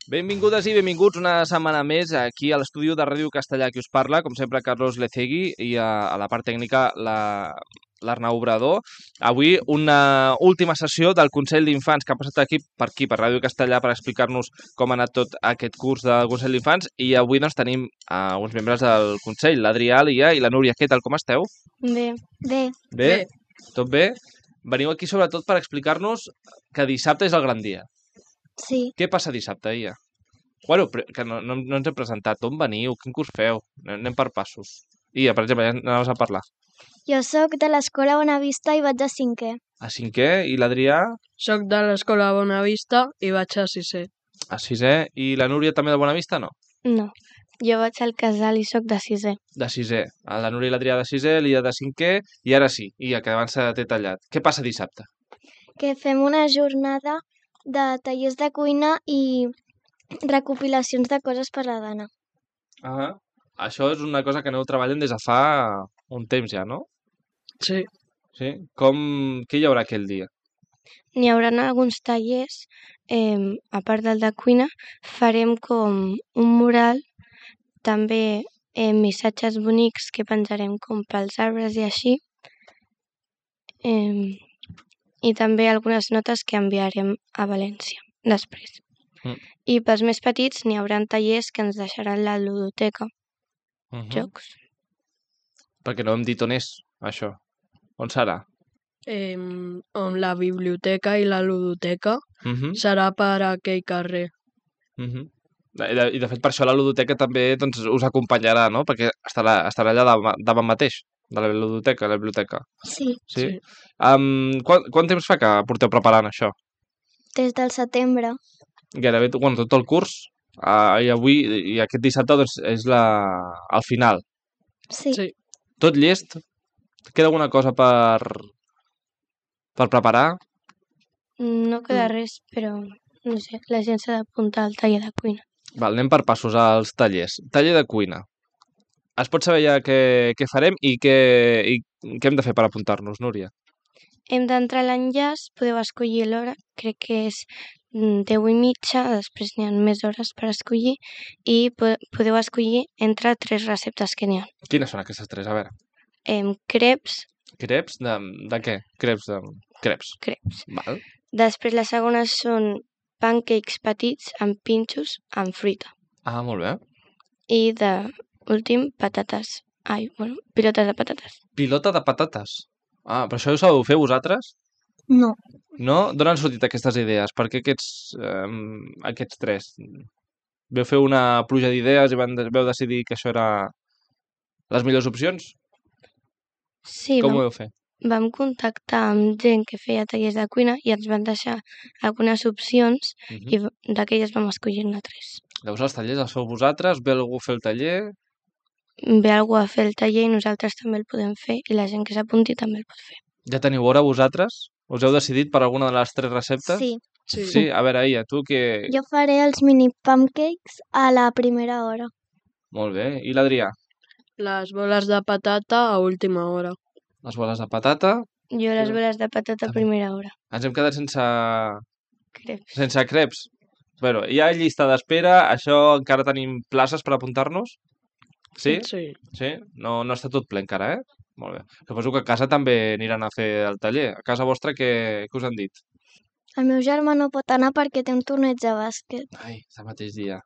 Benvingudes i benvinguts una setmana més aquí a l'estudi de Ràdio Castellà. Qui us parla, com sempre, Carlos Lecegui, i a la part tècnica l'Arnau Obrador. Avui una última sessió del Consell d'Infants que ha passat aquí, per Ràdio Castellà, per explicar-nos com ha anat tot aquest curs del Consell d'Infants. I avui doncs, tenim uns membres del Consell, l'Adrià, l'Ia i la Núria. Què tal, com esteu? Bé. Bé? Tot bé? Veniu aquí sobretot per explicar-nos que dissabte és el gran dia. Sí. Què passa dissabte, Ia? Bueno, que no ens hem presentat. On veniu? Quin curs feu? Anem per passos. Ia, per exemple, ja anaves a parlar. Jo sóc de l'Escola Bonavista i vaig a 5è. A 5è? I l'Adrià? Soc de l'Escola Bonavista i vaig a 6è. A 6è? I la Núria també de Bonavista, no? No, jo vaig al Casal i sóc de 6è. De 6è. La Núria i l'Adrià de 6è, l'Ia de 5è, i ara sí, Ia, que abans t'he tallat. Què passa dissabte? Que fem una jornada de tallers de cuina i recopilacions de coses per la dona. Això és una cosa que aneu treballant des de fa un temps ja, no? Sí. Sí? Què hi haurà aquell dia? N'hi haurà alguns tallers, a part del de cuina, farem com un mural, també missatges bonics que penjarem com pels arbres i així, i també algunes notes que enviarem a València després. I pels més petits n'hi haurà tallers que ens deixaran la ludoteca, jocs. Perquè no hem dit on és, això. On serà? On la biblioteca i la ludoteca serà per aquell carrer. I de fet per això la ludoteca també doncs, us acompanyarà, no? Perquè estarà allà davant mateix, de la ludoteca, la biblioteca. Sí. Quant temps fa que porteu preparant això? Des del setembre. Gairebé tot el curs, i avui i aquest dissabte doncs, és el final. Sí. Tot llest? Queda alguna cosa per preparar? No queda res, però no sé, la gent s'ha d'apuntar al taller de cuina. Val, anem per passos als tallers. Taller de cuina. Es pot saber ja què farem i què hem de fer per apuntar-nos, Núria? Hem d'entrar a l'enllaç, podeu escollir l'hora, crec que és 10:30, després n'hi ha més hores per escollir, i podeu escollir entre 3 receptes que n'hi ha. Quines són aquestes 3? A veure. Creps. Creps? De què? Creps. Creps. Val. Després les segones són pancakes petits amb pinxos amb fruita. Molt bé. I últim, patates. Pilotes de patates. Pilota de patates? Però això ho sabeu fer vosaltres? No. No? D'on han sortit aquestes idees? Per què aquests 3? Veu fer una pluja d'idees i veu decidir que això era les millors opcions? Sí, com ho veu fer? Vam contactar amb gent que feia tallers de cuina i ens van deixar algunes opcions i d'aquelles vam escollir-ne 3. Llavors els tallers els feu vosaltres? Ve algú a fer el taller? Ve algú a fer el taller i nosaltres també el podem fer i la gent que s'apunti també el pot fer. Ja teniu hora vosaltres? Us heu decidit per alguna de les 3 receptes? Sí. Sí? A veure, Ia, tu què... Jo faré els mini pancakes a la primera hora. Molt bé. I l'Adrià? Les boles de patata a última hora. Les boles de patata? Jo les boles de patata a primera hora. Ens hem quedat Creps. sense creps. Bueno, hi ha llista d'espera. Això encara tenim places per apuntar-nos? Sí? Sí? No està tot ple encara, Molt bé. Suposo que a casa també aniran a fer el taller. A casa vostra què us han dit? El meu germà no pot anar perquè té un torneig de bàsquet. Ai, el mateix dia.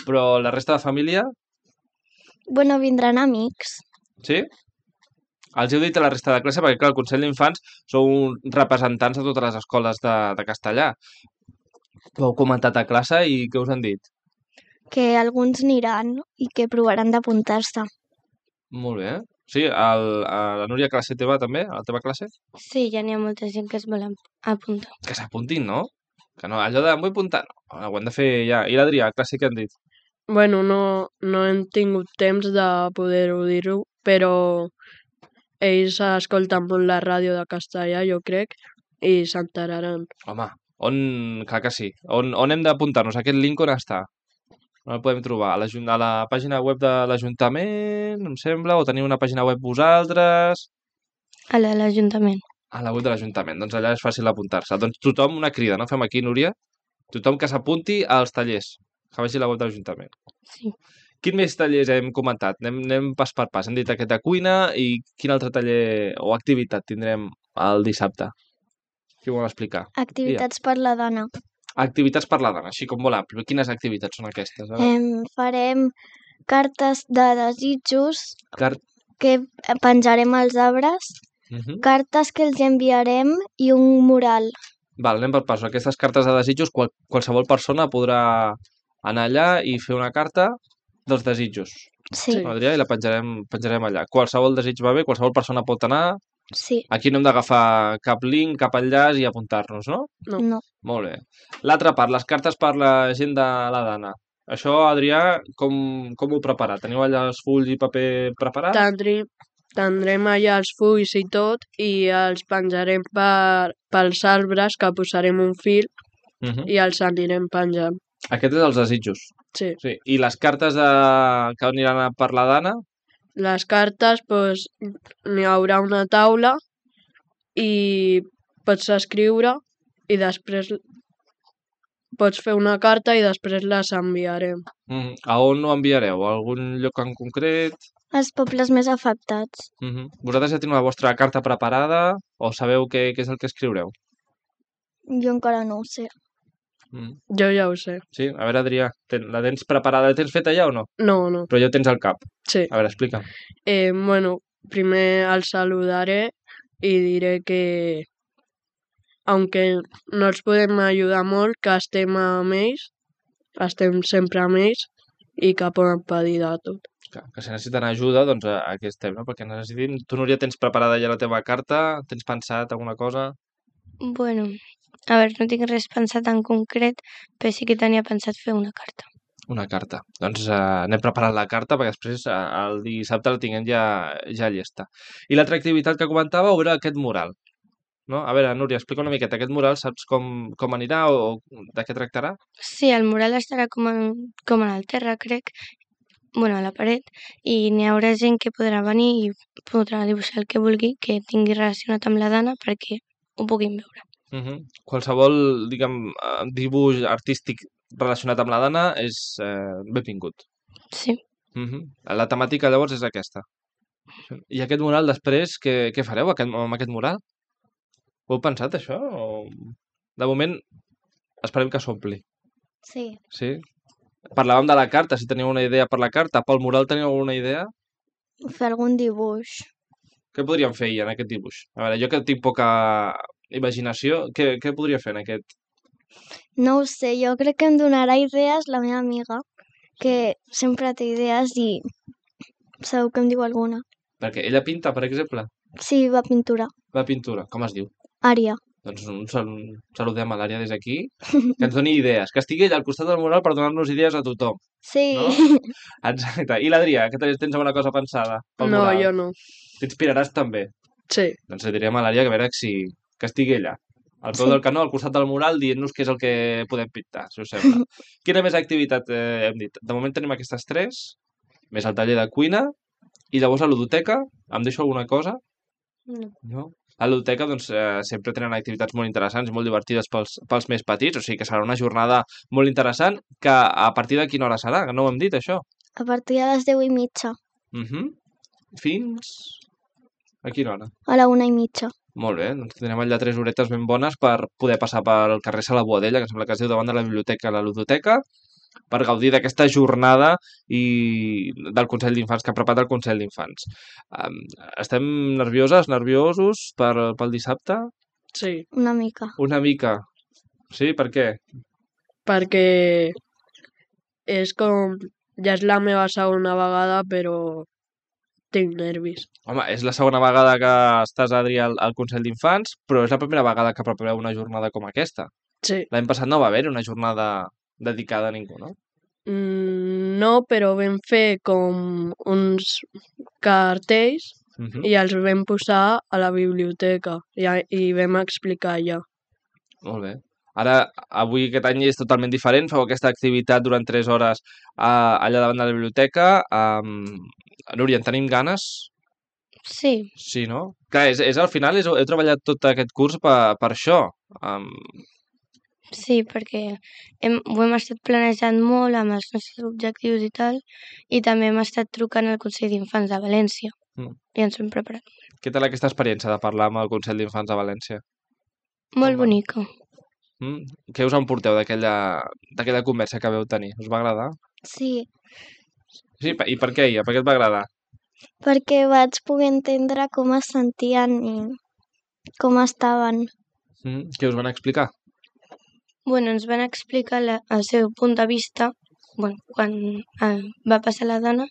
Però la resta de família? Bueno, vindran amics. Sí? Els heu dit a la resta de classe perquè, clar, el Consell d'Infants sou representants de totes les escoles de castellà. Ho heu comentat a classe i què us han dit? Que alguns aniran i que provaran d'apuntar-se. Molt bé. Sí, a la Núria, a classe teva també? A la teva classe? Sí, ja n'hi ha molta gent que es vol apuntar. Que s'apuntin, no? Que no, allò de em vull apuntar, no. Ho hem de fer ja. I l'Adrià, a classe què han dit? Bueno, no hem tingut temps de poder-ho dir-ho, però ells escolten molt la ràdio de castellà, jo crec, i s'enteraran. Home, clar que sí. On hem d'apuntar-nos? Aquest link on està? On el podem trobar? A la pàgina web de l'Ajuntament, em sembla? O teniu una pàgina web vosaltres? A l'Ajuntament. A la web de l'Ajuntament. Doncs allà és fàcil apuntar-se. Doncs tothom una crida, no? Fem aquí, Núria? Tothom que s'apunti als tallers. Que vagi a la web de l'Ajuntament. Sí. Quin més tallers hem comentat? Anem pas per pas. Hem dit aquest de cuina i quin altre taller o activitat tindrem el dissabte? Qui ho vol explicar? Activitats per la dona. Activitats per la dona, així com molt ampli. Quines activitats són aquestes? Farem cartes de desitjos Car... que penjarem als arbres, cartes que els enviarem i un mural. Val, anem per pas. Aquestes cartes de desitjos, qualsevol persona podrà anar allà i fer una carta dels desitjos. Sí. Adrià, i la penjarem allà. Qualsevol desig va bé, qualsevol persona pot anar. Sí. Aquí no hem d'agafar cap link, cap enllaç i apuntar-nos, no? No. Molt bé. L'altra part, les cartes per la gent de la dana. Això, Adrià, com ho prepara? Teniu allà els fulls i paper preparats? Tindrem allà els fulls i tot i els penjarem pels arbres, que posarem un fil i els anirem penjant. Aquest és els desitjos. Sí. I les cartes que aniran per la dana? Les cartes, doncs, n'hi haurà una taula i pots escriure i després pots fer una carta i després les enviarem. A on ho enviareu? A algun lloc en concret? Els pobles més afectats. Vosaltres ja teniu la vostra carta preparada o sabeu què és el que escriureu? Jo encara no ho sé. Jo ja ho sé. Sí? A veure, Adrià, la tens preparada? La tens feta ja o no? No. Però ja ho tens al cap? Sí. A veure, explica'm. Bueno, primer els saludaré i diré que, aunque no els podem ajudar molt, que estem amb ells, estem sempre amb ells i que poden pedir de tot. Que si necessiten ajuda, doncs aquí estem, no? Perquè necessitin... Tu, Núria, tens preparada ja la teva carta? Tens pensat alguna cosa? Bueno, a veure, no tinc res pensat en concret, però sí que tenia pensat fer una carta. Una carta. Doncs anem preparant la carta perquè després el dissabte la tinguem ja llesta. I l'altra activitat que comentàveu era aquest mural. No? A veure, Núria, explica una miqueta. Aquest mural saps com anirà o de què tractarà? Sí, el mural estarà com en el terra, crec, bueno, a la paret, i n'hi haurà gent que podrà venir i podrà dibuixar el que vulgui, que tingui relacionat amb la dana perquè ho puguin veure. Qualsevol, diguem, dibuix artístic relacionat amb la dana és benvingut. Sí. La temàtica, llavors, és aquesta. I aquest mural, després, què fareu amb aquest mural? Ho heu pensat, això? De moment, esperem que s'ompli. Sí. Sí? Parlàvem de la carta, si teniu una idea per la carta. Pel mural teniu alguna idea? Fer algun dibuix. Què podríem fer en aquest dibuix? A veure, jo que tinc poca imaginació, què podria fer en aquest? No ho sé, jo crec que em donarà idees la meva amiga, que sempre té idees i segur que em diu alguna. Perquè ella pinta, per exemple? Sí, va pintura. Va pintura. Com es diu? Ària. Doncs saludem a l'Ària des d'aquí, que ens doni idees, que estigui allà al costat del mural per donar-nos idees a tothom. Sí. No? Exacte. I l'Adrià, que tens alguna cosa pensada pel mural? No, jo no. T'inspiraràs també? Sí. Doncs li direm a l'Ària que a veure que estigui allà, al peu del canó, al costat del mural, dient-nos què és el que podem pintar, si us sembla. Quina més activitat hem dit? De moment tenim aquestes 3, més el taller de cuina, i llavors a la ludoteca, em deixo alguna cosa? No? A la ludoteca doncs, sempre tenen activitats molt interessants i molt divertides pels més petits, o sigui que serà una jornada molt interessant, que a partir de quina hora serà? Que no ho hem dit, això. A partir de les 10:30. Fins... A quina hora? A la 1:30. Molt bé, doncs tindrem allà 3 horetes ben bones per poder passar pel carrer Sala Boadella, que sembla que es diu davant de la biblioteca, a la ludoteca, per gaudir d'aquesta jornada i del Consell d'Infants, que ha preparat el Consell d'Infants. Estem nerviosos pel dissabte? Sí. Una mica. Una mica. Sí? Per què? Perquè és com... Ja és la meva segona vegada, però tinc nervis. Home, és la segona vegada que estàs, Adri, al Consell d'Infants, però és la primera vegada que prepareu una jornada com aquesta. Sí. L'any passat no va haver una jornada dedicada a ningú, no? No, però vam fer com uns cartells i els vam posar a la biblioteca i vam explicar allà. Molt bé. Ara, avui aquest any és totalment diferent, feu aquesta activitat durant 3 hores allà davant de la biblioteca. Núria, en tenim ganes? Sí. Sí, no? Clar, al final heu treballat tot aquest curs per això. Sí, perquè ho hem estat planejant molt amb els nostres objectius i tal, i també hem estat trucant al Consell d'Infants de València i ens hem preparat. Què tal aquesta experiència de parlar amb el Consell d'Infants de València? Molt bonica. Què us emporteu d'aquella conversa que veu tenir? Us va agradar? Sí, Sí, i per què ella? Per què et va agradar? perquè vaig poder entendre com es sentien i com estaven. Què us van explicar? Bueno, ens van explicar el seu punt de vista quan va passar la dona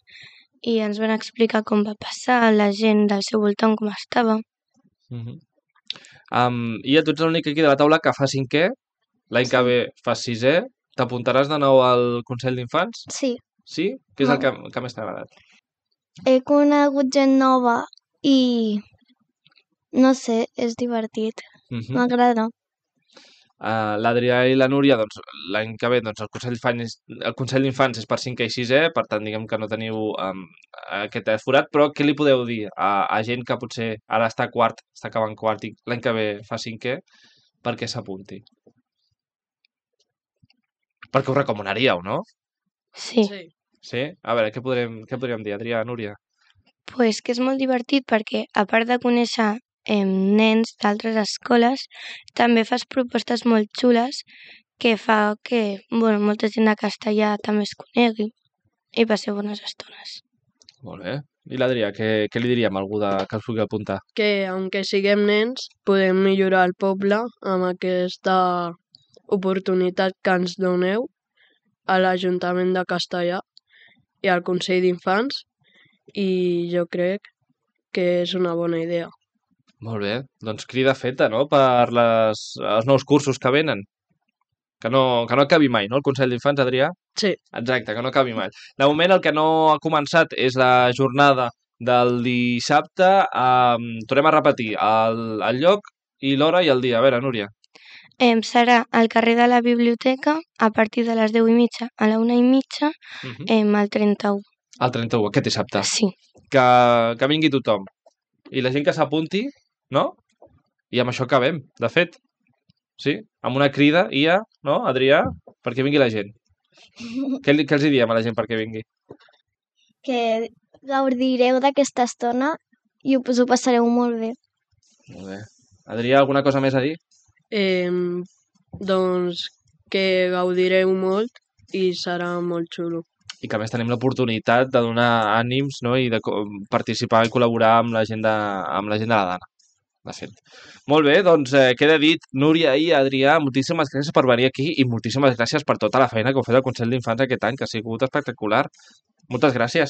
i ens van explicar com va passar, la gent del seu voltant com estava. I tu ets l'únic aquí de la taula que fa 5è, l'any que ve fas 6è, t'apuntaràs de nou al Consell d'Infants? Sí, Sí? Què és el que més t'ha agradat? he conegut gent nova i no sé, és divertit. M'agrada. L'Adrià i la Núria, doncs, l'any que ve, doncs, el Consell d'Infants és per 5è i 6è, per tant, diguem que no teniu aquest forat, però què li podeu dir a gent que potser ara està acabant quart i l'any que ve fa 5è, perquè s'apunti? Perquè ho recomanaríeu, no? Sí. Sí? A veure, què podríem dir, Adrià, Núria? Pues que és molt divertit perquè, a part de conèixer nens d'altres escoles, també fas propostes molt xules que fa que molta gent de castellà també es conegui i passeu bones estones. Molt bé. I l'Adrià, què li diríem a algú que els pugui apuntar? Que, aunque siguem nens, podem millorar el poble amb aquesta oportunitat que ens doneu a l'Ajuntament de Castellà i al Consell d'Infants, i jo crec que és una bona idea. Molt bé. Doncs crida feta, no?, per els nous cursos que venen. Que no acabi mai, no?, el Consell d'Infants, Adrià? Sí. Exacte, que no acabi mai. De moment el que no ha començat és la jornada del dissabte. Tornem a repetir el lloc i l'hora i el dia. A veure, Núria. Serà al carrer de la Biblioteca a partir de les 10:30 a la 1:30 al 31. El 31, aquest dissabte. Sí. Que vingui tothom. I la gent que s'apunti, no? I amb això acabem, de fet. Sí? Amb una crida, no, Adrià? Perquè vingui la gent. Què els diem a la gent perquè vingui? Que gaudireu d'aquesta estona i us ho passareu molt bé. Molt bé. Adrià, alguna cosa més a dir? Doncs que gaudireu molt i serà molt xulo. I que a més tenim l'oportunitat de donar ànims, no?, i de participar i col·laborar amb la gent de la Dana, de fet. Molt bé, doncs queda dit, Núria i Adrià, moltíssimes gràcies per venir aquí i moltíssimes gràcies per tota la feina que heu fet al Consell d'Infants aquest any, que ha sigut espectacular. Moltes gràcies.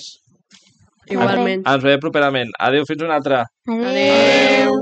Igualment. Ens veiem properament. Adéu, fins una altra. Adéu.